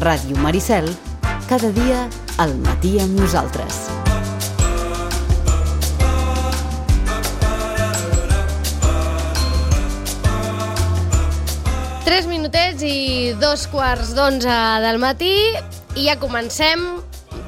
Ràdio Maricel, cada dia al matí amb nosaltres. Tres minutets i 2:15 del matí i ja comencem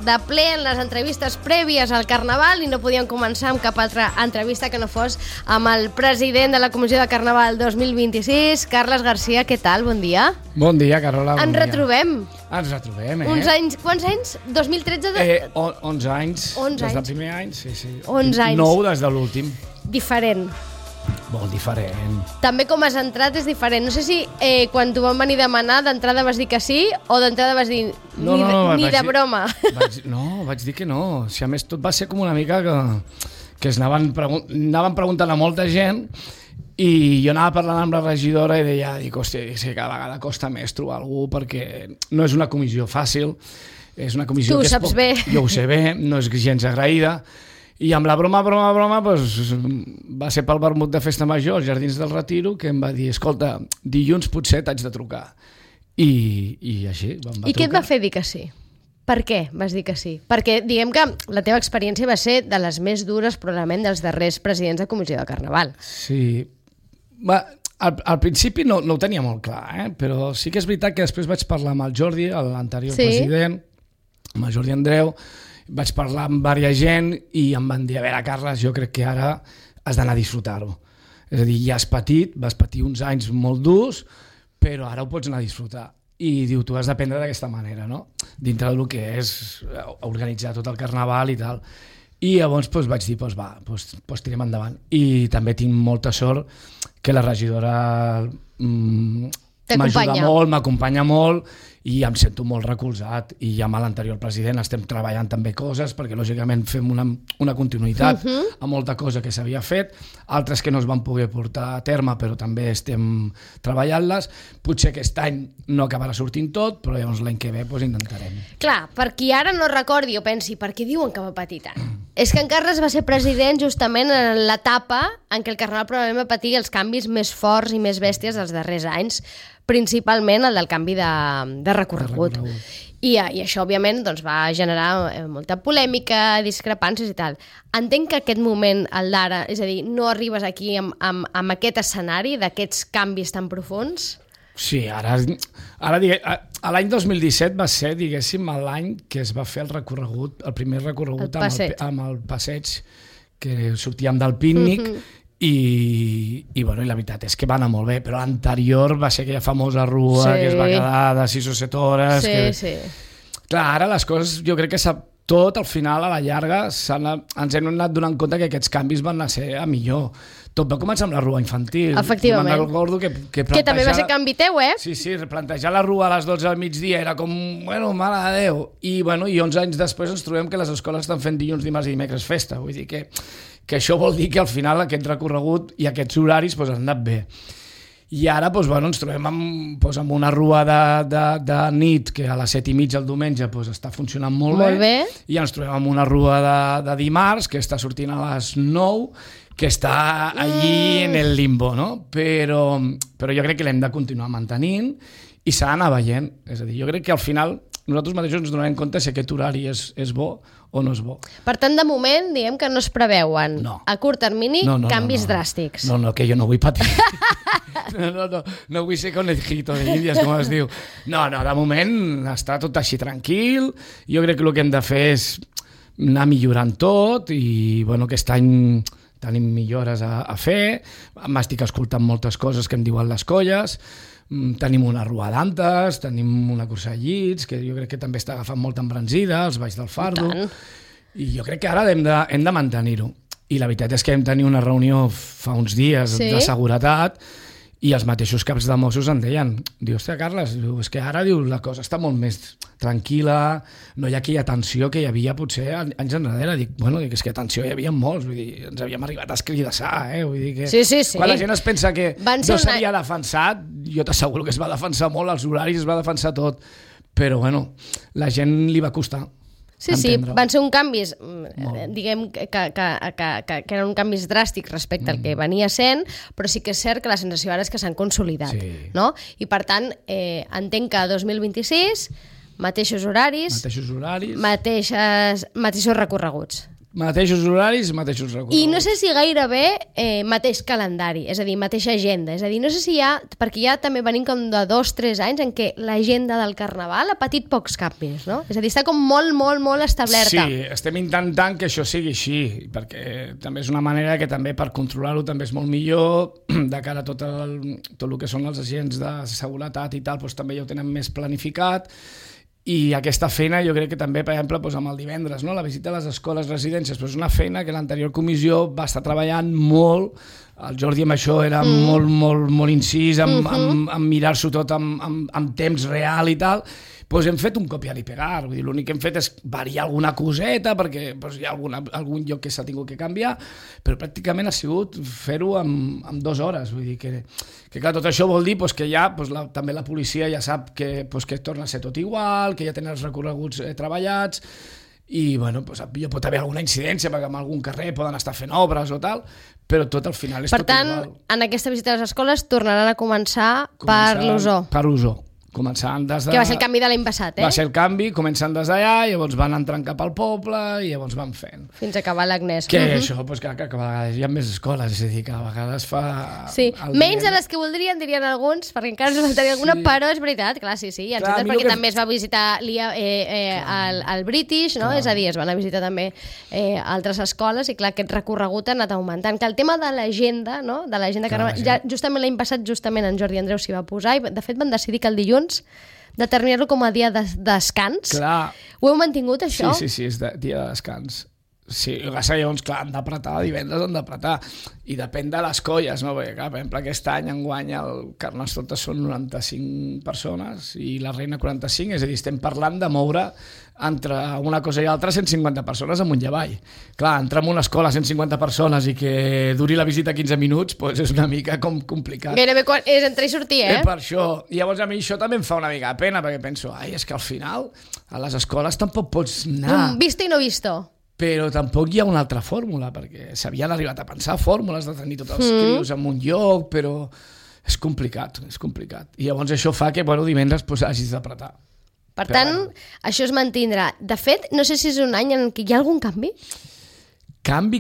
de ple en les entrevistes prèvies al Carnaval i no podíem començar amb cap altra entrevista que no fos amb el president de la Comissió de Carnaval 2026, Carles Garcia. Què tal? Bon dia. Bon dia, Carola. Ens retrobem. Ens retrobem, Uns anys, quants anys? 2013? 11 anys. 11 des del anys. primer any, sí. 11 anys. 9 des de l'últim. Diferent. Molt diferent. També com has entrat és diferent. No sé si quan t'ho van venir a demanar d'entrada vas dir que sí o d'entrada vas dir ni de broma. Vaig dir que no. Si a més tot va ser com una mica que es anaven preguntant a molta gent i jo anava parlant amb la regidora i dic, hòstia, és que cada vegada costa més trobar algú perquè no és una comissió fàcil, és una comissió tu que saps bé. Jo ho sé bé, no és gens agraïda. I amb la broma, doncs, va ser pel vermut de Festa Major, als Jardins del Retiro, que em va dir, escolta, dilluns potser t'haig de trucar. I així, vam trucar. I què et va fer dir que sí? Per què vas dir que sí? Perquè diguem que la teva experiència va ser de les més dures, probablement, dels darrers presidents de Comissió de Carnaval. Sí. Al principi no ho tenia molt clar, però sí que és veritat que després vaig parlar amb el Jordi, l'anterior president, amb el Jordi Andreu, vaig parlar amb diversa gent i em van dir, a veure, Carles, jo crec que ara has d'anar a disfrutar-ho. És a dir, ja has patit, vas patir uns anys molt durs, però ara ho pots anar a disfrutar. I diu, tu has d'aprendre d'aquesta manera, no? Dintre del que és organitzar tot el Carnaval i tal. I llavors vaig dir, tirem endavant. I també tinc molta sort que la regidora m'ajuda molt, m'acompanya molt i em sento molt recolzat. I amb l'anterior president estem treballant també coses perquè lògicament fem una continuïtat a molta cosa que s'havia fet, altres que no es van poder portar a terme però també estem treballant-les. Potser aquest any no acabarà sortint tot, però llavors l'any que ve intentarem. Clar, per qui ara no recordi o pensi per què diuen que va patir tant? És que en Carles va ser president justament en l'etapa en què el Carnaval probablement va patir els canvis més forts i més bèsties dels darrers anys, principalment el del canvi de recorregut. I això, òbviament, va generar molta polèmica, discrepàncies i tal. Entenc que aquest moment, el d'ara, és a dir, no arribes aquí amb aquest escenari d'aquests canvis tan profuns? Sí, ara l'any 2017 va ser, diguéssim, l'any que es va fer el recorregut, el primer recorregut amb el passeig, que sortíem del pícnic, i la veritat és que va anar molt bé, però l'anterior va ser aquella famosa rua que es va quedar de 6 o 7 hores. Sí. Clar, ara les coses, jo crec que tot al final, a la llarga, ens hem anat donant compte que aquests canvis van ser a millor. Tot va començar amb la rua infantil. Efectivament. Me'n recordo que també va ser canvi teu, Sí, replantejar la rua a les 12 al migdia era com, mare de Déu. I 11 anys després ens trobem que les escoles estan fent dilluns, dimarts i dimecres festa. Vull dir que això vol dir que al final aquest recorregut i aquests horaris han anat bé. I ara ens trobem amb una rua de nit que a les 7:30 el diumenge està funcionant molt bé. I ens trobem amb una rua de dimarts que està sortint a les 9, que està allí en el limbo, no? Però jo crec que l'hem de continuar mantenint i s'ha d'anar veient. És a dir, jo crec que al final nosaltres mateixos ens donem compte si aquest horari és bo o no és bo. Per tant, de moment, diguem que no es preveuen a curt termini canvis dràstics. No, que jo no vull patir. No vull ser conejito de índies, com es diu. No, de moment està tot així tranquil. Jo crec que el que hem de fer és anar millorant tot i aquest any tenim millores a fer. M'estic escoltant moltes coses que em diuen les colles. Tenim una rua d'antes, tenim una cursa de llits, que jo crec que també està agafant molta embranzida, els Valls del Fardo. I jo crec que ara hem de mantenir-ho. I la veritat és que vam tenir una reunió fa uns dies de seguretat i els mateixos caps de Mossos em deien, hòstia, Carles, és que ara la cosa està molt més tranquil·la, no hi ha aquella tensió que hi havia potser anys enrere. Dic, és que tensió hi havia molts, vull dir, ens havíem arribat a escridassar, vull dir que... Sí. Quan la gent es pensa que no s'havia defensat, jo t'asseguro que es va defensar molt, els horaris es va defensar tot, però la gent li va costar. Sí, van ser uns canvis, diguem que eren canvis dràstics respecte al que venia sent, però sí que és cert que la sensació ara és que s'han consolidat, no? I per tant, entenc que 2026 mateixos horaris, mateixos recorreguts. Mateixos horaris, mateixos recorreguts. I no sé si gairebé mateix calendari, és a dir, mateixa agenda. És a dir, no sé si hi ha, perquè ja també venim com de 2-3 anys en què l'agenda del Carnaval ha patit pocs canvis, no? És a dir, està com molt, molt, molt establerta. Sí, estem intentant que això sigui així, perquè també és una manera que també per controlar-ho també és molt millor, de cara a tot el que són els agents de seguretat i tal, doncs també ja ho tenen més planificat. I aquesta feina jo crec que també, per exemple, amb el divendres, no? La visita a les escoles, residències, però és una feina que l'anterior comissió va estar treballant molt, el Jordi amb això era molt incís, amb mirar-s'ho tot amb temps real i tal. Doncs hem fet un copiar i pegar, vull dir, l'únic que hem fet és variar alguna coseta perquè hi ha algun lloc que s'ha tingut que canviar, però pràcticament ha sigut fer-ho en 2 hores, vull dir que clar, tot això vol dir que ja també la policia ja sap que torna a ser tot igual, que ja tenen els recorreguts treballats, i bueno, hi pot haver alguna incidència perquè en algun carrer poden estar fent obres o tal, però tot al final és tot igual. Per tant, en aquesta visita a les escoles tornaran a començar per l'Osó. Per l'Osó. Començant des de... Que va ser el canvi de l'any passat, Va ser el canvi, començant des d'allà, llavors van entrant cap al poble i llavors van fent. Fins a acabar l'Agnès. Que això, que a vegades hi ha més escoles, és a dir, que a vegades fa... Sí, menys de les que voldrien, dirien alguns, perquè encara ens faltaria alguna, però és veritat, clar, sí, i perquè també es va visitar el British, no? És a dir, es van a visitar també altres escoles i clar, aquest recorregut ha anat augmentant. Que el tema de l'agenda, no? De l'agenda Carnaval, ja justament l'any passat, justament en Jordi Andreu s'hi va posar i de fet van decidir que el dilluns determinar-lo com a dia de descans. Clar. Ho heu mantingut, això? Sí, és dia de descans. Sí, llavors, clar, han d'apretar, divendres han d'apretar. I depèn de les colles, no? Perquè, clar, per exemple, aquest any enguany el Carnestoltes són 95 persones i la Reina 45, és a dir, estem parlant de moure entre una cosa i altra 150 persones amunt i avall. Clar, entrar en una escola 150 persones i que duri la visita 15 minuts, doncs és una mica complicat. Gairebé és entrar i sortir, Per això. I llavors a mi això també em fa una mica de pena, perquè penso, és que al final a les escoles tampoc pots anar... Visto i no visto. Però tampoc hi ha una altra fórmula, perquè s'havien arribat a pensar fórmules de tenir tots els crios en un lloc, però és complicat. I llavors això fa que, divendres hagis d'apretar. Per tant, això es mantindrà. De fet, no sé si és un any en què hi ha algun canvi? Canvi,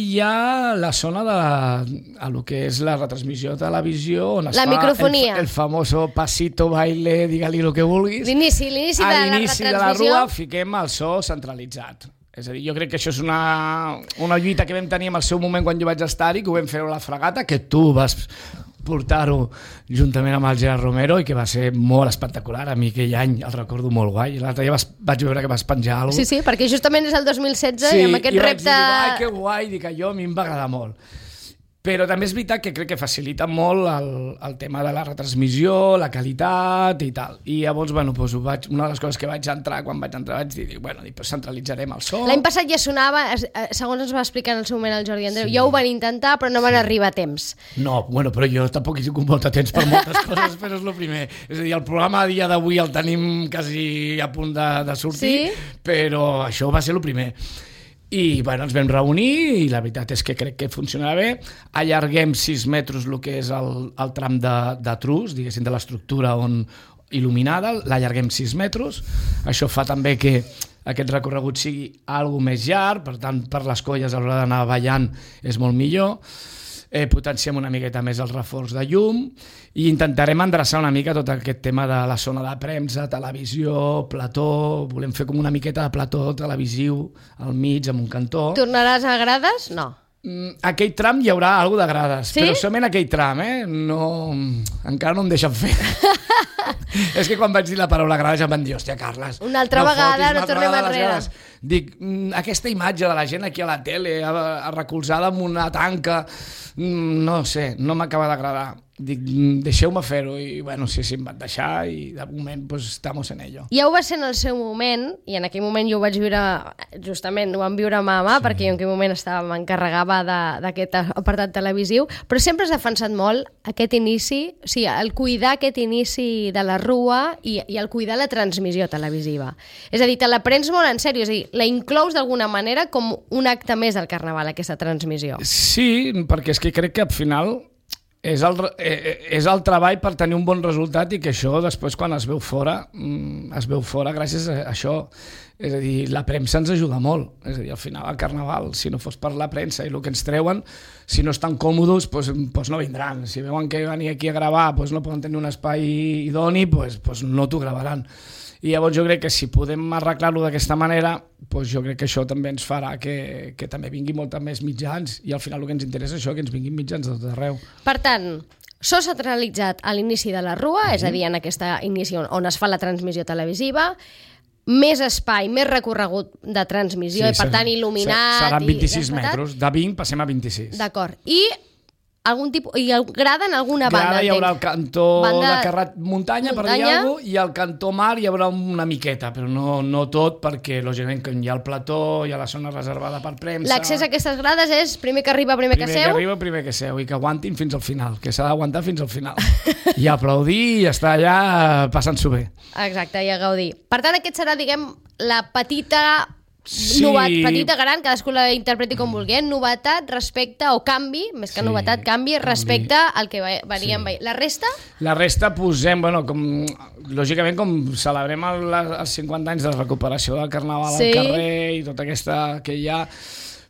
hi ha la zona de lo que és la retransmissió de televisió, on es fa microfonia. El famoso pasito, baile, digue-li el que vulguis. L'inici de la retransmissió. De la rua fiquem el so centralitzat. És a dir, jo crec que això és una lluita que vam tenir en el seu moment quan jo vaig estar-hi, que ho vam fer a la fregata, que tu vas portar-ho juntament amb el Gerard Romero i que va ser molt espectacular. A mi aquell any el recordo molt guai. L'altre dia vaig veure que vas penjar alguna cosa. Sí, perquè justament és el 2016 i amb aquest repte... Sí, i vaig dir, que guai, dic, a mi em va agradar molt. Però també és veritat que crec que facilita molt el tema de la retransmissió, la qualitat i tal. I llavors, una de les coses que vaig entrar, quan vaig entrar, vaig dir, centralitzarem el so. L'any passat ja sonava, segons ens va explicar en el seu moment el Jordi Andreu, ja ho van intentar, però no van arribar a temps. No, però jo tampoc hi tinc molt de temps per moltes coses, però és el primer. És a dir, el programa a dia d'avui el tenim quasi a punt de sortir, però això va ser el primer. I ens vam reunir i la veritat és que crec que funcionarà bé. Allarguem 6 metres el que és el tram de trus, diguéssim, de l'estructura il·luminada, l'allarguem 6 metres. Això fa també que aquest recorregut sigui alguna més llarg, per tant, per les colles a l'hora d'anar ballant és molt millor. Potenciem una miqueta més el reforç de llum i intentarem endreçar una mica tot aquest tema de la zona de premsa, televisió, plató. Volem fer com una miqueta de plató televisiu al mig, amb un cantó. Tornaràs a grades? No. Aquell tram hi haurà alguna de grades, sí? Però solament aquell tram, no, encara no em deixen fer. És que quan vaig dir la paraula grades ja em van dir, hòstia, Carles, una altra vegada no tornem enrere. Dic, aquesta imatge de la gent aquí a la tele recolzada amb una tanca, no sé, no m'acaba d'agradar. Dic, deixeu-me fer-ho i sí, em van deixar i de moment estamos en ello. Ja ho va ser en el seu moment i en aquell moment jo ho vaig viure, justament ho vam viure mà a mà, perquè jo en aquell moment m'encarregava d'aquest apartat televisiu, però sempre has defensat molt aquest inici, o sigui, el cuidar aquest inici de la rua i el cuidar la transmissió televisiva. És a dir, te la prens molt en sèrio, és a dir, la inclous d'alguna manera com un acte més del Carnaval, aquesta transmissió. Sí, perquè és que crec que al final és el treball per tenir un bon resultat i que això després quan es veu fora gràcies a això. És a dir, la premsa ens ajuda molt. És a dir, al final al Carnaval, si no fos per la premsa i el que ens treuen, si no estan còmodes, doncs no vindran. Si veuen que venir aquí a gravar no poden tenir un espai idoni, doncs no t'ho gravaran. I llavors jo crec que si podem arreglar-lo d'aquesta manera, doncs jo crec que això també ens farà que també vinguin molts més mitjans i al final el que ens interessa és això, que ens vinguin mitjans de tot arreu. Per tant, s'ha centralitzat a l'inici de la Rua, és a dir, en aquesta inici on es fa la transmissió televisiva, més espai, més recorregut de transmissió i per tant il·luminat. Seran 26 metres, de 20 passem a 26. D'acord. I algun tipus, i grada en alguna banda. Grada hi haurà el cantó de carret muntanya, per dir alguna cosa, i al cantó mar hi haurà una miqueta, però no tot, perquè lògicament que hi ha el plató, hi ha la zona reservada per premsa. L'accés a aquestes grades és primer que arriba, primer que seu? Primer que arriba, primer que seu, i que aguantin fins al final, que s'ha d'aguantar fins al final. I aplaudir i estar allà passant-s'ho bé. Exacte, i a gaudir. Per tant, aquest serà, diguem, la petita... Sí. Petita, gran, cadascú la interpreti com vulgui, novetat respecte, o canvi, més que novetat, canvi respecte al que veníem veient. La resta? La resta posem, lògicament com celebrem els 50 anys de la recuperació del Carnaval al carrer i tota aquesta que hi ha,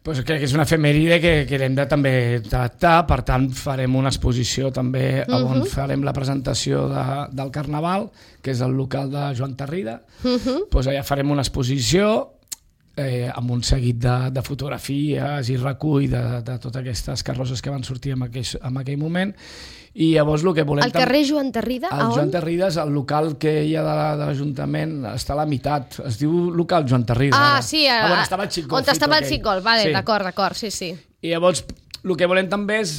crec que és una efemèride que l'hem de també tractar, per tant farem una exposició també on farem la presentació del Carnaval, que és el local de Joan Tarrida, allà farem una exposició amb un seguit de fotografies i recull de totes aquestes carrosses que van sortir en aquell moment, i llavors el que volem... El carrer Joan Tarrida, a on? El Joan Tarrida és el local que hi ha de l'Ajuntament, està a la meitat, es diu local Joan Tarrida. Sí, on estava el Xicol. On estava el Xicol, d'acord, sí. I llavors el que volem també és,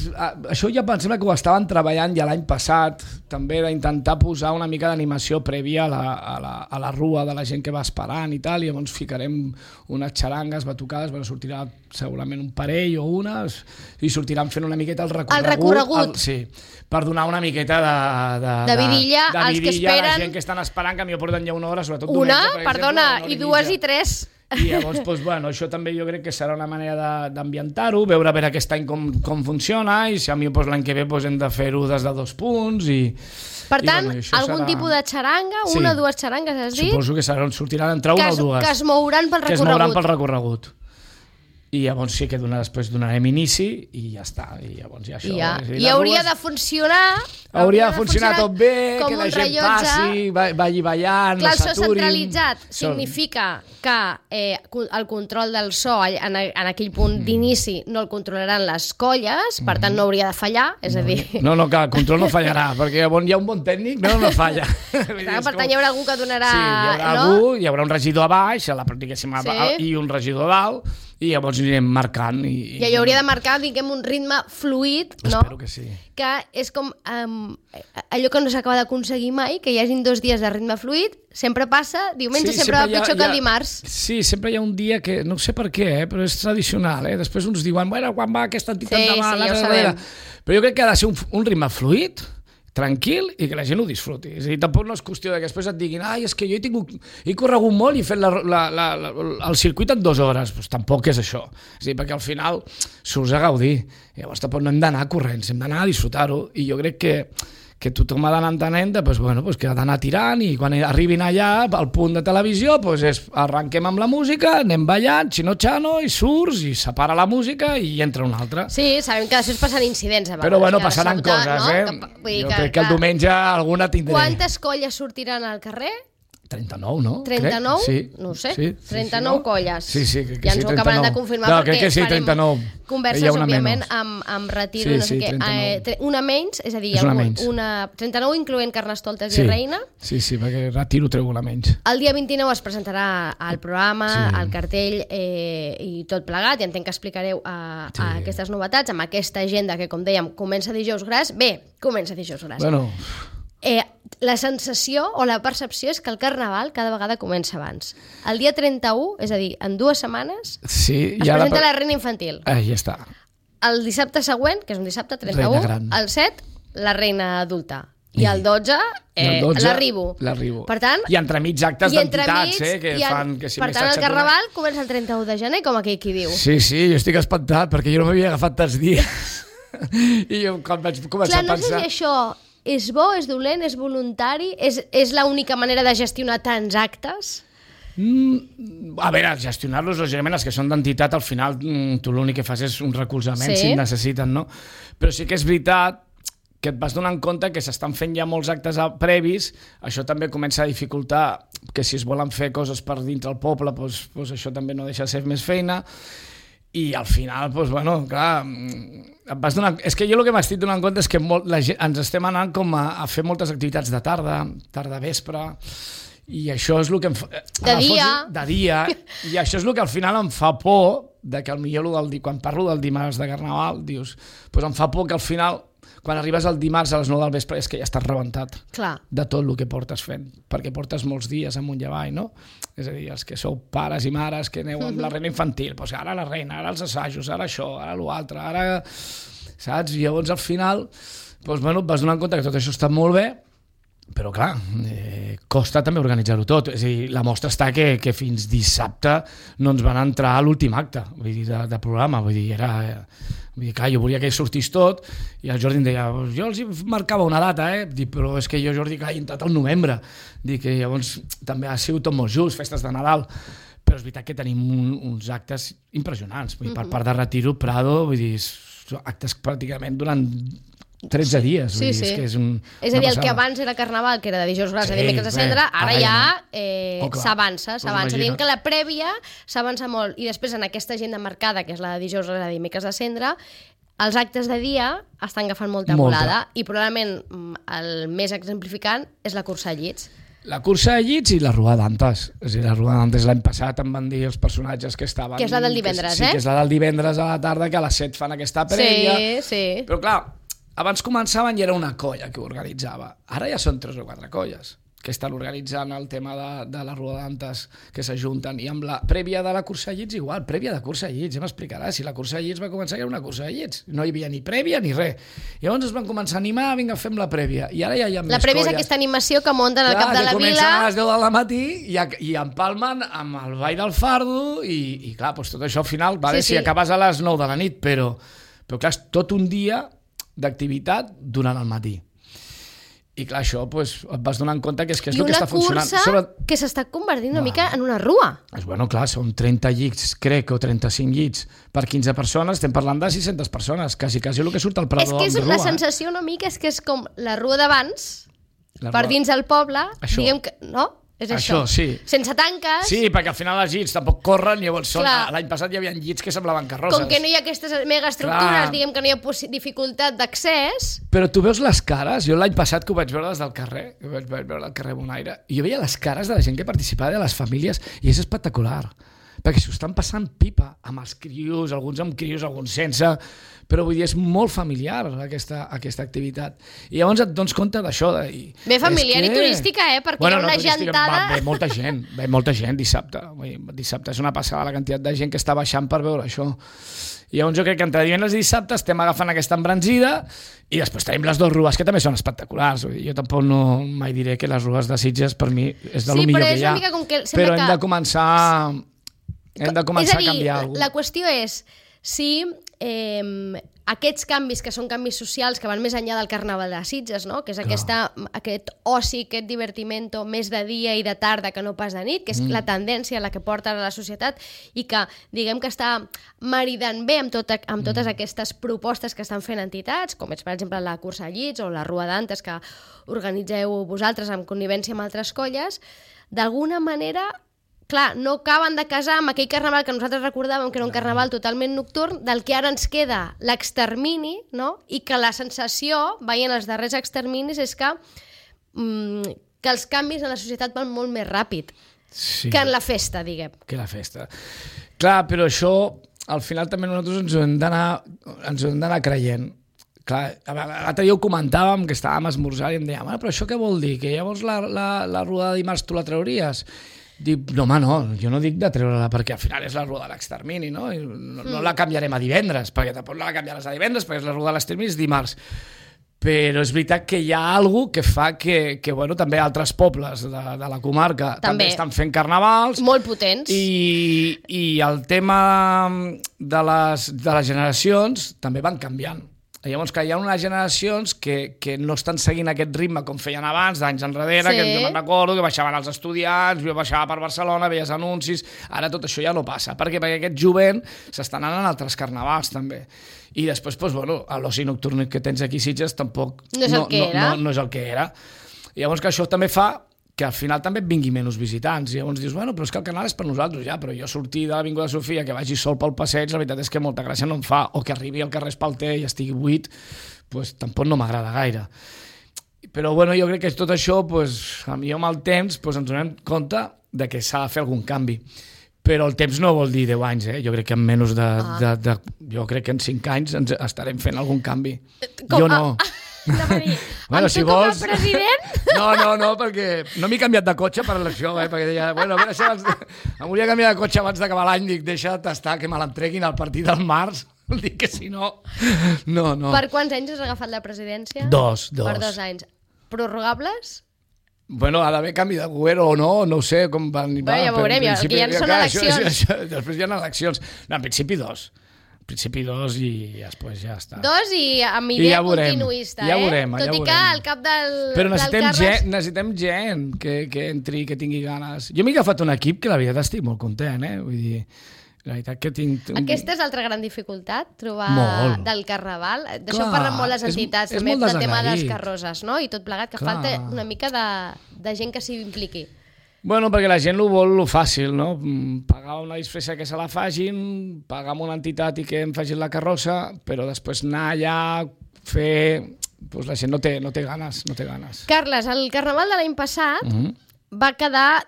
això ja pensem que ho estaven treballant ja l'any passat, també d'intentar posar una mica d'animació prèvia a la rua de la gent que va esperant i tal, i llavors ficarem unes xarangues batucades, sortirà segurament un parell o unes, i sortiran fent una miqueta el recorregut. El recorregut. Sí, per donar una miqueta de vidilla als que esperen. A la gent que estan esperant, que millor porten ja una hora, sobretot diumenge, per exemple. Perdona, i 2 i 3... I llavors, això també jo crec que serà una manera d'ambientar-ho, veure aquest any com funciona, i si a mi l'any que ve hem de fer-ho des de 2 punts. Per tant, algun tipus de xaranga, una o dues xarangues, has dit? Suposo que sortiran entre una o dues. Que es mouran pel recorregut. Que es mouran pel recorregut. I llavors sí que després donarem inici i ja està. I llavors ja això... I hauria de funcionar... Hauria de funcionar tot bé, que la gent passi, vagi ballant, no s'aturin... Clar, centralitzat significa que el control del so en aquell punt d'inici no el controlaran les colles, per tant no hauria de fallar, és a dir... No, que el control no fallarà, perquè hi ha un bon tècnic, no falla. Per tant hi haurà algú que donarà... Sí, hi haurà algú, hi haurà un regidor a baix, i un regidor a dalt, i llavors anirem marcant. I hi hauria de marcar, diguem, un ritme fluid, no? Espero que sí. Que és com allò que no s'acaba d'aconseguir mai, que hi hagin 2 dies de ritme fluid, sempre passa, diumenge sempre va pitjor que el dimarts. Sí, sempre hi ha un dia que, no sé per què, però és tradicional, després uns diuen, quan va aquesta entitat davant, ja ho sabem. Però jo crec que ha de ser un ritme fluid, tranquil, i que la gent ho disfruti. És a dir, tampoc no és qüestió que després et diguin és que jo he corregut molt i he fet el circuit en 2 hores. Pues tampoc és això. És a dir, perquè al final surts a gaudir. Llavors tampoc no hem d'anar corrents, hem d'anar a disfrutar-ho. I jo crec que tothom ha d'anar entenent que ha d'anar tirant, i quan arribin allà al punt de televisió arrenquem amb la música, anem ballant, si no xano, i surts, i separa la música i entra una altra. Sí, sabem que després passen incidents a vegades. Però passaran coses, Jo crec que el diumenge alguna tindré. Quantes colles sortiran al carrer? 39, no? 39? Sí. No ho sé. Sí, 39 colles. Sí, crec que ja ens ho acabaran de confirmar, perquè crec que sí, 39. Converses, òbviament, amb retiro, no sé què. Una menys, és a dir, 39 incloent Carnestoltes i Reina. Sí, perquè retiro treu una menys. El dia 29 es presentarà el programa, el cartell i tot plegat, i entenc que explicareu aquestes novetats amb aquesta agenda que, com dèiem, comença dijous gras. Comença dijous gras. Bueno... La sensació o la percepció és que el Carnaval cada vegada comença abans. El dia 31, és a dir, en 2 setmanes, es presenta la Reina Infantil. Ja està. El dissabte següent, que és un dissabte 31, el 7, la Reina Adulta. I el 12, l'Arribo. Per tant, i entremig actes d'entitats que fan... Per tant, el Carnaval comença el 31 de gener, com aquell qui diu. Sí, jo estic espantat, perquè jo no m'havia agafat tants dies. I jo quan vaig començar a pensar... Clar, no sé si això és bo, és dolent, és voluntari, és l'única manera de gestionar tants actes? A veure, gestionar-los, lògicament, els que són d'entitat, al final tu l'únic que fas és un recolzament si en necessiten, no? Però sí que és veritat que et vas donant compte que s'estan fent ja molts actes previs, això també comença a dificultar que si es volen fer coses per dintre el poble, doncs això també no deixa de ser més feina, i al final, doncs, bueno, clar, et vas donant... És que jo el que m'estic donant compte és que ens estem anant com a fer moltes activitats de tarda, vespre, i això és el que em fa... De dia. I això és el que al final em fa por, de que potser quan parlo del dimarts de Carnaval, dius, doncs em fa por que al final, quan arribes el dimarts a les 9 del vespre, és que ja estàs rebentat de tot el que portes fent, perquè portes molts dies amunt i avall, no? És a dir, els que sou pares i mares que aneu amb la reina infantil, doncs ara la reina, ara els assajos, ara això, ara l'altre, ara... Saps? I llavors al final, doncs, bueno, et vas donant compte que tot això està molt bé, però clar, costa també organitzar-ho tot. És a dir, la mostra està que fins dissabte no ens van entrar a l'últim acte de programa. Vull dir, clar, jo volia que sortís tot i el Jordi em deia, jo els marcava una data, Dic, però és que jo, Jordi, clar, he entrat al novembre. Dic que llavors també ha sigut tot molt just, festes de Nadal, però és veritat que tenim uns actes impressionants. Vull dir, per part de Retiro, Prado, vull dir, actes pràcticament durant 13 dies. Sí. És que és a dir, el que abans era Carnaval, que era de dijous gras a dimecres de Cendra, ara ja s'avança. Diguem que la prèvia s'avança molt. I després, en aquesta agenda marcada, que és la de dijous gras a dimecres de Cendra, els actes de dia estan agafant molta volada i probablement el més exemplificant és la cursa de llits. La cursa de llits i la Rua d'Antes. És a dir, la Rua d'Antes l'any passat em van dir els personatges que estaven... Que és la del divendres, Sí, que és la del divendres a la tarda, que a les 7 fan aquesta prèvia. Sí. Però clar, abans començaven i era una colla que ho organitzava. Ara ja són 3 o 4 colles que estan organitzant el tema de la Rua d'Antes, que s'ajunten. I amb la prèvia de la cursa de llits igual, prèvia de cursa de llits, ja m'explicarà. Si la cursa de llits va començar, era una cursa de llits. No hi havia ni prèvia ni res. I llavors es van començar a animar, vinga, fem la prèvia. I ara ja hi ha més colles. La prèvia és aquesta animació que munten al cap de la vila. Que comencen a les 10 del matí i empalmen amb el ball del fardo i clar, doncs tot això al final, si acabes a les 9 de la nit, però clar, és tot un dia d'activitat durant el matí. I clar, això et vas donant compte que és el que està funcionant. I una cursa que s'està convertint una mica en una rua. Bueno, clar, són 30 llits, crec, o 35 llits per 15 persones, estem parlant de 600 persones, quasi el que surt al Prado amb rua. És que la sensació una mica és que és com la rua d'abans, per dins del poble, diguem que... No? És això, sí. Sense tanques. Sí, perquè al final els llits tampoc corren, llavors l'any passat hi havia llits que semblaven carrosses. Com que no hi ha aquestes megaestructures, diguem que no hi ha dificultat d'accés. Però tu veus les cares, jo l'any passat que ho vaig veure des del carrer, vaig veure al carrer Bonaire, i jo veia les cares de la gent que participava, de les famílies, i és espectacular. Perquè s'ho estan passant pipa amb els crios, alguns amb crios, alguns sense, però vull dir, és molt familiar aquesta activitat. I llavors et dones compte d'això. Bé familiar i turística, perquè hi ha una gentada... Ve molta gent dissabte. Dissabte és una passada la quantitat de gent que està baixant per veure això. I llavors jo crec que entre divendres i dissabte estem agafant aquesta embranzida i després tenim les 2 rues que també són espectaculars. Jo tampoc mai diré que les rues de Sitges per mi és de lo millor que hi ha. Però hem de començar... Hem de començar a canviar alguna cosa. La qüestió és si aquests canvis, que són canvis socials que van més enllà del Carnaval de Sitges, no? Que és aquest oci, aquest divertimento més de dia i de tarda que no pas de nit, que és la tendència a la que porta la societat i que diguem que està maridant bé amb totes aquestes propostes que estan fent entitats, com és per exemple la cursa de llits o la Rua d'Antes que organitzeu vosaltres en connivència amb altres colles, d'alguna manera... Clar, no acaben de casar amb aquell carnaval que nosaltres recordàvem que era un carnaval totalment nocturn, del que ara ens queda l'extermini, no? I que la sensació, veient els darrers exterminis, és que els canvis en la societat van molt més ràpid que en la festa, diguem. Que la festa. Clar, però això, al final també nosaltres ens ho hem d'anar creient. Clar, l'altre dia ho comentàvem, que estàvem a esmorzar i em dèiem, però això què vol dir? Que llavors la rua de dimarts tu la trauries? Dic, no, home, no, jo no dic de treure-la perquè al final és la rua de l'extermini, no? No la canviarem a divendres, perquè tampoc la canviaràs a divendres, perquè és la rua de l'extermini, és dimarts. Però és veritat que hi ha alguna cosa que fa que bueno, també altres pobles de la comarca també estan fent carnavals. Molt potents. I el tema de les generacions també van canviant. Llavors que hi ha unes generacions que no estan seguint aquest ritme com feien abans, d'anys enrere, que jo me'n recordo que baixaven els estudiants, jo baixava per Barcelona, veies anuncis, ara tot això ja no passa. Per què? Perquè aquest jovent s'està anant a altres carnavals també. I després, doncs, bueno, l'oci nocturn que tens aquí a Sitges tampoc no és el que era. No és el que era. I llavors que això també fa que al final també et vingui menys visitants. I llavors dius, bueno, però és que el canal és per nosaltres, ja, però jo sortir de l'Avinguda Sofia, que vagi sol pel passeig, la veritat és que molta gràcia no em fa, o que arribi al carrer Espalter i estigui buit, doncs tampoc no m'agrada gaire. Però bueno, jo crec que tot això, doncs, amb el temps, doncs, ens donem compte de que s'ha de fer algun canvi. Però el temps no vol dir 10 anys, jo crec que en menys jo crec que en 5 anys ens estarem fent algun canvi. Jo no. Bueno, si vols... com a president? No, perquè no m'he canviat de cotxe per això, perquè deia, bueno, em volia canviar de cotxe abans d'acabar l'any, dic, deixa de tastar, que me l'entreguin al partit del març, dic que si no... No. Per quants anys has agafat la presidència? 2. Per 2 anys. Prorrogables? Bueno, ha d'haver canvi de govern o no ho sé com van... Bueno, ja veurem, ja són eleccions. Després hi ha eleccions. No, en principi 2. Principi 2 i després ja està. 2 i amb idea continuista, ja veurem, Tot i que al cap del Però necessitem gent que entri, que tingui ganes. Jo m'he agafat un equip que la veritat estic molt content, Vull dir, la veritat que tinc... Aquesta és l'altra gran dificultat, trobar del carnaval. D'això parlen molt les entitats, també del tema de les carrosses, no? I tot plegat, que falta una mica de gent que s'hi impliqui. Bueno, perquè la gent ho vol fàcil, no? Pagar una disfressa que se la facin, pagar amb una entitat i que em facin la carrossa, però després anar allà, fer... Pues la gent no té ganes. Carles, el carnaval de l'any passat va quedar...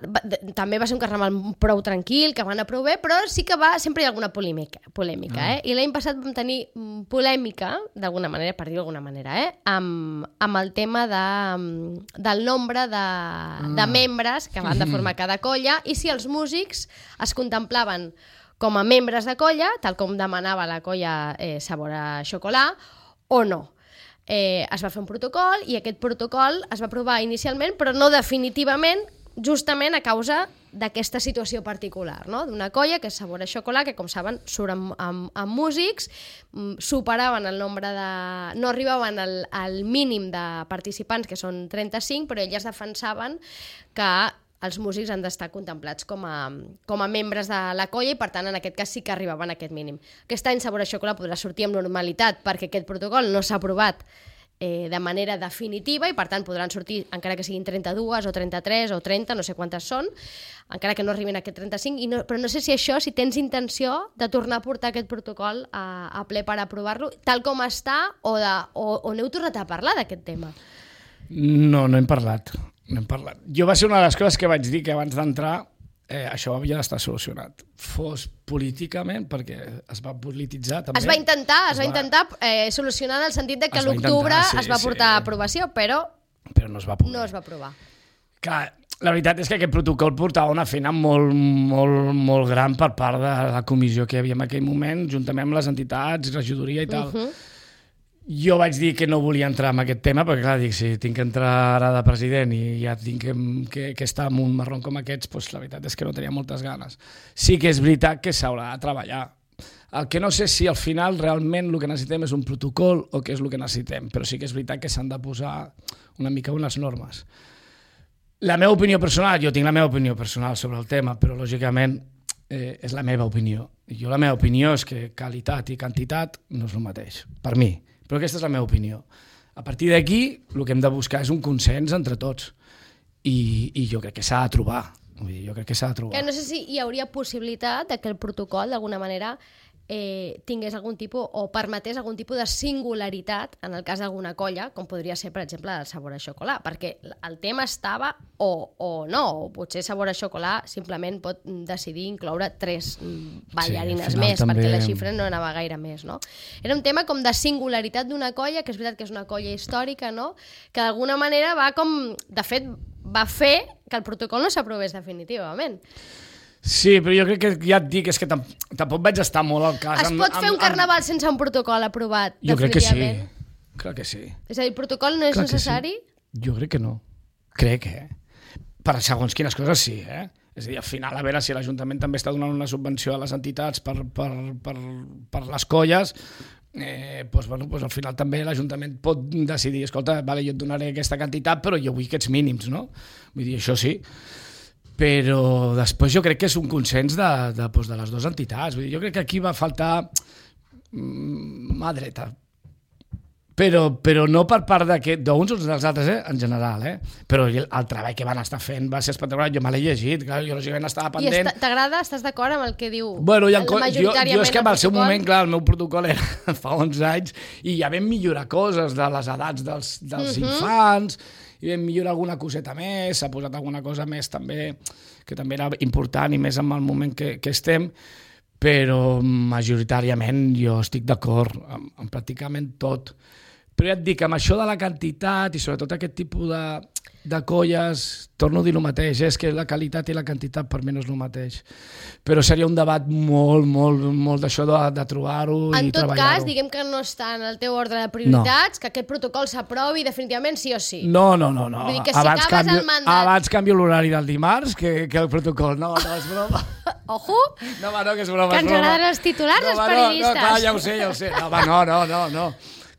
També va ser un carnaval prou tranquil, que va anar prou bé, però sí que sempre hi ha alguna polèmica. I l'any passat vam tenir polèmica, d'alguna manera, per dir-ho d'alguna manera, amb el tema del nombre de membres que van de formar cada colla i si els músics es contemplaven com a membres de colla, tal com demanava la colla Sabor a Xocolà, o no. Es va fer un protocol i aquest protocol es va aprovar inicialment però no definitivament, justament a causa d'aquesta situació particular, no? D'una colla que és Sabor a Xocolà, que com saben surt amb músics, superaven el nombre de... no arribaven al mínim de participants, que són 35, però elles defensaven que els músics han d'estar contemplats com a membres de la colla i, per tant, en aquest cas sí que arribaven a aquest mínim. Aquest any Sabor a Xocolà podrà sortir amb normalitat perquè aquest protocol no s'ha aprovat de manera definitiva i, per tant, podran sortir, encara que siguin 32 o 33 o 30, no sé quantes són, encara que no arribin a aquest 35, però no sé si això, si tens intenció de tornar a portar aquest protocol a ple per aprovar-lo, tal com està, o n'heu tornat a parlar d'aquest tema? No hem parlat. Jo va ser una de les coses que vaig dir que abans d'entrar això havia d'estar solucionat. Fos políticament, perquè es va polititzar també. Es va intentar solucionar en el sentit de que a l'octubre es va portar a aprovació, però no es va poder. No es va aprovar. Clar, la veritat és que aquest protocol portava una feina molt, molt, molt gran per part de la comissió que hi havia en aquell moment, juntament amb les entitats, regidoria i tal. Jo vaig dir que no volia entrar en aquest tema, perquè clar, dic, si tinc que entrar ara de president i ja tinc que estar en un marrón com aquests, doncs la veritat és que no tenia moltes ganes. Sí que és veritat que s'haurà de treballar. El que no sé si al final realment el que necessitem és un protocol o què és el que necessitem, però sí que és veritat que s'han de posar una mica unes normes. La meva opinió personal, jo tinc la meva opinió personal sobre el tema, però lògicament és la meva opinió. La meva opinió és que qualitat i quantitat no és el mateix, per mi. Però aquesta és la meva opinió. A partir d'aquí, el que hem de buscar és un consens entre tots. I jo crec que s'ha de trobar. Que no sé si hi hauria possibilitat que el protocol, d'alguna manera, tingués algun tipus, o permetés algun tipus de singularitat en el cas d'alguna colla, com podria ser, per exemple, el Sabor a Xocolà, perquè el tema estava o no, o potser Sabor a Xocolà simplement pot decidir incloure 3 ballarines més, també... perquè la xifra no anava gaire més, no? Era un tema com de singularitat d'una colla, que és veritat que és una colla històrica, no? Que d'alguna manera va com... De fet, va fer que el protocol no s'aprovés definitivament. Sí, però jo crec que ja et dic, és que tampoc vaig estar molt al cas. Es pot fer un carnaval sense un protocol aprovat, jo definitivament? Crec que sí. És a dir, el protocol no és necessari? Sí. Jo crec que no. Crec, Per segons quines coses sí, És a dir, al final, a veure si l'Ajuntament també està donant una subvenció a les entitats per les colles, al final també l'Ajuntament pot decidir, escolta, vale, jo et donaré aquesta quantitat, però jo vull aquests mínims, no? Vull dir, això sí. Però després jo crec que és un consens de les dues entitats. Vull dir, jo crec que aquí va faltar mà dreta. Però no per part d'uns o dels altres, en general, però el treball que van estar fent va ser espectacular. Jo me l'he llegit, clar, jo lògicament estava pendent. I t'agrada? Estàs d'acord amb el que diu majoritàriament jo és que en el seu moment, clar, el meu protocol era fa 11 anys i ja vam millorar coses de les edats dels infants, i vam millorar alguna coseta més, s'ha posat alguna cosa més també, que també era important i més en el moment que estem, però majoritàriament jo estic d'acord amb pràcticament tot. Però ja et dic, amb això de la quantitat i sobretot aquest tipus de colles, torno a dir el mateix, és que la qualitat i la quantitat per mi no és el mateix. Però seria un debat molt d'això de trobar-ho i treballar-ho. En tot cas, diguem que no està en el teu ordre de prioritats, que aquest protocol s'aprovi definitivament sí o sí. No. Vull dir que si acabes el mandat... Abans canvio l'horari del dimarts que el protocol. No, és broma. Ojo! No, que és broma. Que ens agraden els titulars, els periodistes. No, clar, ja ho sé. No.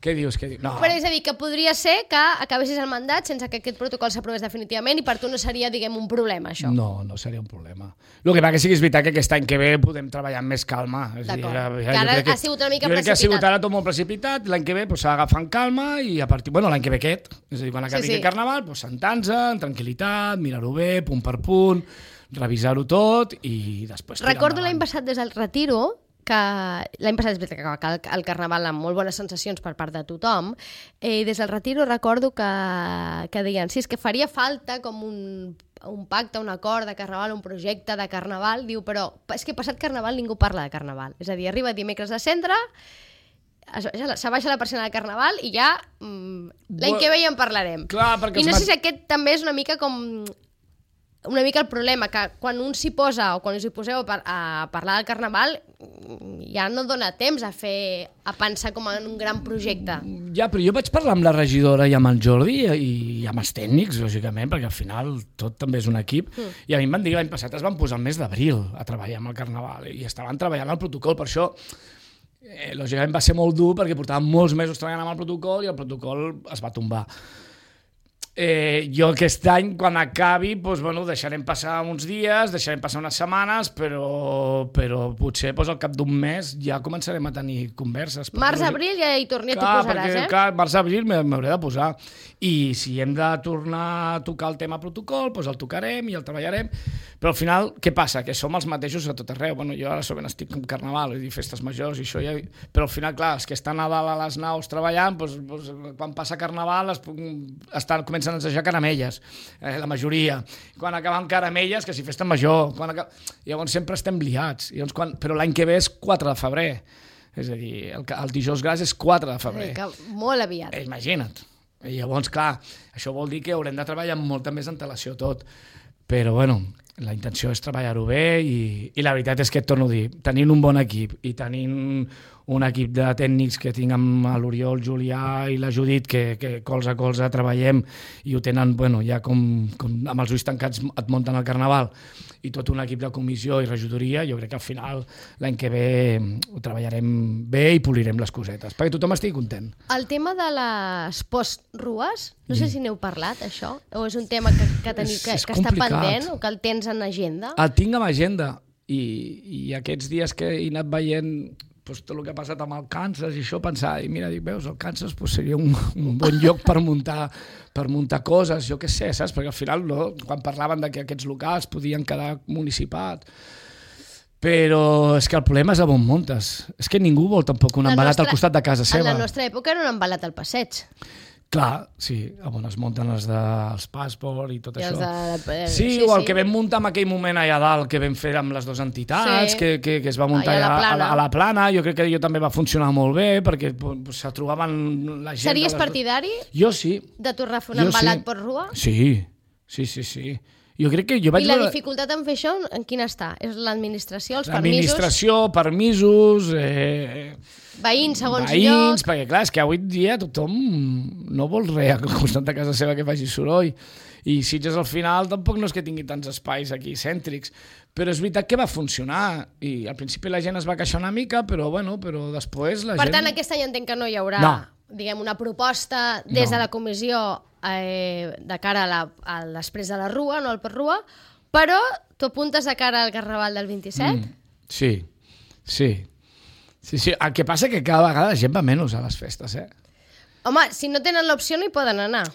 Què dius? No. Però és a dir, que podria ser que acabessis el mandat sense que aquest protocol s'aprovés definitivament i per tu no seria, diguem, un problema, això. No seria un problema. El que va que sí que és veritat que aquest any que ve podem treballar amb més calma. D'acord. Que ara ha sigut una mica precipitat. Jo crec que ha sigut ara tot molt precipitat, l'any que ve s'ha d'agafar amb calma i a partir... Bueno, l'any que ve aquest. És a dir, quan acabi aquest carnaval, sentar-se, en tranquil·litat, mirar-ho bé, punt per punt, revisar-ho tot i després... Recordo l'any passat des del retiro que l'any passat és veritat que el carnaval amb molt bones sensacions per part de tothom, i des del retiro recordo que deien, sí, és que faria falta com un pacte, un acord de carnaval, un projecte de carnaval, diu, però és que passat carnaval ningú parla de carnaval, és a dir, arriba dimecres de cendre, s'abaixa la persiana de carnaval i ja l'any que ve ja en parlarem. Clar, i no sé si aquest també és una mica el problema, que quan un s'hi posa o quan us hi poseu a parlar del carnaval ja no dona temps a pensar com en un gran projecte. Ja, però jo vaig parlar amb la regidora i amb el Jordi i amb els tècnics, lògicament, perquè al final tot també és un equip, i a mi em van dir que l'any passat es van posar el mes d'abril a treballar amb el carnaval i estaven treballant el protocol, per això lògicament va ser molt dur perquè portàvem molts mesos treballant amb el protocol i el protocol es va tombar. Jo aquest any, quan acabi, deixarem passar uns dies, deixarem passar unes setmanes, però potser al cap d'un mes ja començarem a tenir converses. Març-abril ja hi torni, t'hi posaràs, Clar, març-abril m'hauré de posar. I si hem de tornar a tocar el tema protocol, el tocarem i el treballarem. Però al final, què passa? Que som els mateixos a tot arreu. Jo ara sovint estic amb carnaval, festes majors i això ja... Però al final, clar, els que estan a dalt a les naus treballant, quan passa carnaval comencen a ensejar caramelles, la majoria. Quan acaben caramelles, que si festa major. Llavors sempre estem liats. Però l'any que ve és 4 de febrer. És a dir, el dijous gras és 4 de febrer. Molt aviat. Imagina't. I llavors, clar, això vol dir que haurem de treballar amb molta més antelació tot. Però, la intenció és treballar-ho bé i la veritat és que et torno a dir, tenint un bon equip i tenint un equip de tècnics que tinc amb l'Oriol, Julià i la Judit, que colze a colze treballem i ho tenen, ja com amb els ulls tancats et munten el carnaval, i tot un equip de comissió i regidoria, jo crec que al final l'any que ve ho treballarem bé i polirem les cosetes, perquè tothom estigui content. El tema de les post-rues, no sé si n'heu parlat, això, o és un tema que està pendent o que el tens en agenda? El tinc en agenda i aquests dies que he anat veient tot el que ha passat amb el Kansas i això, pensar, i mira, dic, veus, el Kansas seria un bon lloc per muntar coses, jo què sé, saps? Perquè al final, quan parlaven que aquests locals podien quedar municipats, però és que el problema és a on muntes. És que ningú vol tampoc un embalat al costat de casa seva. En la nostra època era un embalat al passeig. Clar, sí, on es munten els dels Passport i tot això. Sí, o el que vam muntar en aquell moment allà dalt, que vam fer amb les dues entitats, que es va muntar a la Plana, jo crec que allò també va funcionar molt bé, perquè se trobaven la gent... Series partidari? Jo sí. De tornar a fer un embalat per rua? Sí. Jo crec que jo vaig... I la dificultat en fer això, en quina està? És l'administració, els permisos? L'administració, permisos... Veïns, segons lloc... Perquè clar, és que avui dia tothom no vol res al costat de casa seva que faci soroll. I Sitges al final tampoc no és que tingui tants espais aquí cèntrics, però és veritat que va funcionar i al principi la gent es va queixar una mica, però després la gent... Per tant, aquest any entenc que no hi haurà diguem, una proposta des de la comissió de cara a després de la Rua, no al per Rua, però tu apuntes de cara al Carnaval del 27? Sí. El que passa que cada vegada la gent va menys a les festes, Home, si no tenen l'opció no hi poden anar.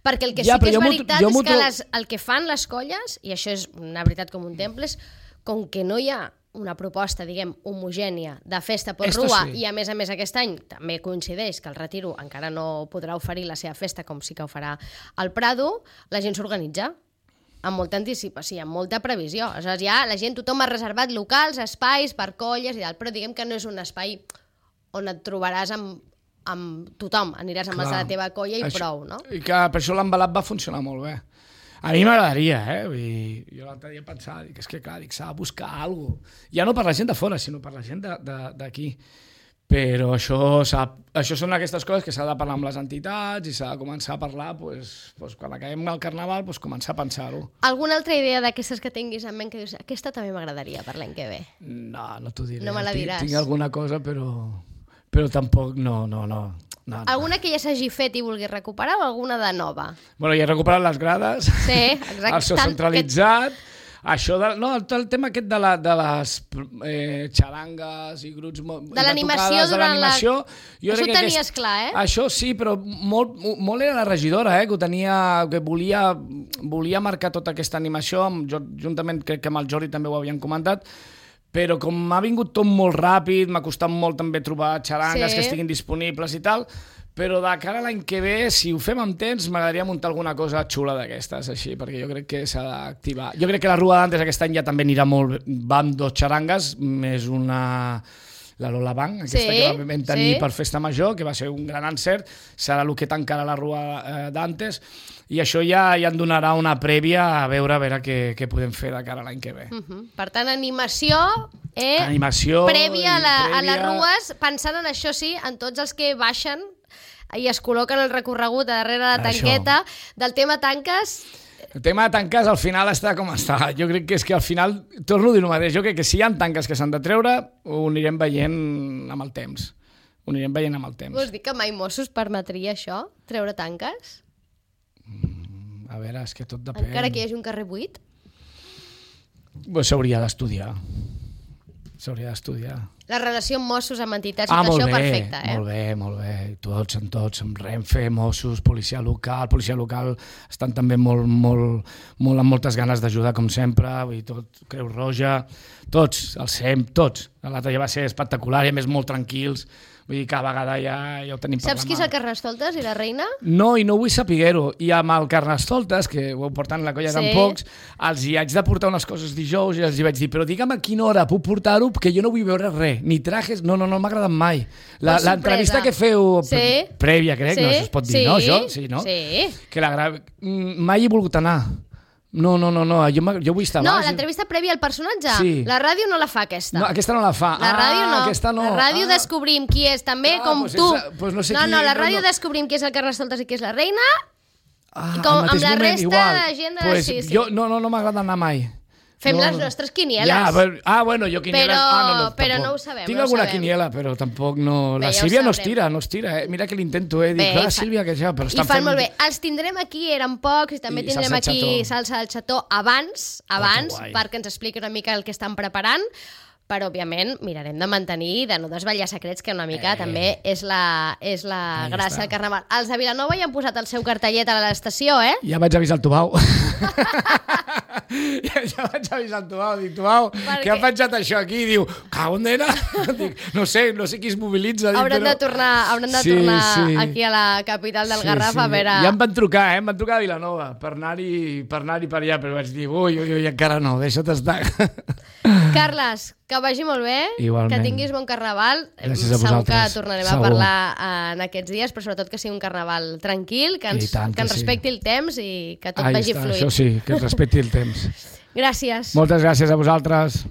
Perquè el que sí que és veritat és que el que fan les colles, i això és una veritat com un temple, és com que no hi ha una proposta, diguem, homogènia de festa per Rua, i a més aquest any també coincideix que el Retiro encara no podrà oferir la seva festa com sí que ho farà al Prado, la gent s'organitza amb molta anticipació, amb molta previsió. Aleshores ja la gent, tothom ha reservat locals, espais per colles i tal, però diguem que no és un espai on et trobaràs amb tothom, aniràs amb els de la teva colla i prou, no? I que per això l'embalat va funcionar molt bé. A mi m'agradaria, jo l'altre dia pensava, és que clar, s'ha de buscar alguna cosa. Ja no per la gent de fora, sinó per la gent d'aquí. Però això són aquestes coses que s'ha de parlar amb les entitats i s'ha de començar a parlar, quan acabem el Carnaval, començar a pensar-ho. Alguna altra idea d'aquestes que tinguis en ment que dius, aquesta també m'agradaria per l'any que ve? No t'ho diré. No me la diràs. Tinc alguna cosa, però tampoc, no. Alguna que ja s'hagi fet i vulguis recuperar o alguna de nova? Bueno, ja he recuperat les grades, exacte. el so centralitzat, això el tema aquest de les xarangues i grups de l'animació durant l'animació. Això ho tenies clar, Això sí, però molt era la regidora, que volia marcar tota aquesta animació, juntament crec que amb el Jordi també ho havien comentat, però com m'ha vingut tot molt ràpid, m'ha costat molt també trobar xarangues que estiguin disponibles i tal, però de cara a l'any que ve, si ho fem amb temps, m'agradaria muntar alguna cosa xula d'aquestes, així, perquè jo crec que s'ha d'activar. Jo crec que la Rua d'Antes aquest any ja també anirà molt... Va amb 2 xarangues, més la Lola Bank, aquesta que vam tenir per Festa Major, que va ser un gran encert, serà el que tancarà la Rua d'Antes, i això ja en donarà una prèvia a veure què podem fer de cara a l'any que ve. Per tant, animació prèvia a les rues, pensant en això sí, en tots els que baixen i es col·loquen el recorregut a darrere la tanqueta. Del tema tanques... El tema de tanques al final està com està. Jo crec que és que al final, torno a dir el mateix, jo crec que si hi ha tanques que s'han de treure, ho anirem veient amb el temps. Vols dir que mai Mossos permetria això, treure tanques? A veure, és que tot depèn. Encara que hi hagi un carrer buit? S'hauria d'estudiar. La relació amb Mossos, amb entitats, això perfecta, Molt bé. Tots, amb Renfe, Mossos, policia local estan també molt amb moltes ganes d'ajudar, com sempre, Creu Roja, tots, el SEM, tots. L'altre ja va ser espectacular i a més molt tranquils. Vull dir, cada vegada ja ho tenim per la mà. Saps qui és el Carnestoltes i la reina? No, i no vull saber-ho. I amb el Carnestoltes, que ho portant la colla tan pocs, els hi haig de portar unes coses dijous i els hi vaig dir, però digue'm a quina hora puc portar-ho, perquè jo no vull veure res, ni trajes, no m'ha agradat mai. L'entrevista que feu prèvia, crec, no es pot dir, no, això? Sí, no? Sí. Mai he volgut anar. No, jo vull estar baix. No, l'entrevista prèvia al personatge. La ràdio no la fa, aquesta. No, aquesta no la fa. La ràdio no. Aquesta no. La ràdio descobrim qui és, també, com tu. No, la ràdio descobrim qui és el Carnestoltes i qui és la reina, i com amb la resta de gent de... No m'agrada anar mai. Fem les nostres quinieles. Bueno, jo quinieles... Però no ho sabem. Tinc alguna quiniela, però tampoc no... La Sílvia no es tira. Mira que l'intento, Dic, Sílvia, que ja... I fan molt bé. Els tindrem aquí, eren pocs, i també tindrem aquí salsa del xató abans, perquè ens expliqui una mica el que estan preparant, però, òbviament, mirarem de mantenir, de no desvetllar secrets, que una mica també és la gràcia del Carnaval. Els de Vilanova ja han posat el seu cartellet a l'estació, Ja vaig avisar el Tubau. Ja vaig avisar el Tubau. Dic, Tubau, que ha penjat això aquí? Diu, cago en nena. No sé qui es mobilitza. Hauran de tornar aquí a la capital del Garraf a veure... Ja em van trucar a Vilanova per anar-hi per allà, però vaig dir, ui, encara no, deixa't estar. Carles, que vagi molt bé, igualment. Que tinguis bon Carnaval. Gràcies a vosaltres. Segur que tornarem a parlar en aquests dies, però sobretot que sigui un Carnaval tranquil, que ens respecti el temps i que tot vagi fluid. Això sí, que ens respecti el temps. Gràcies. Moltes gràcies a vosaltres.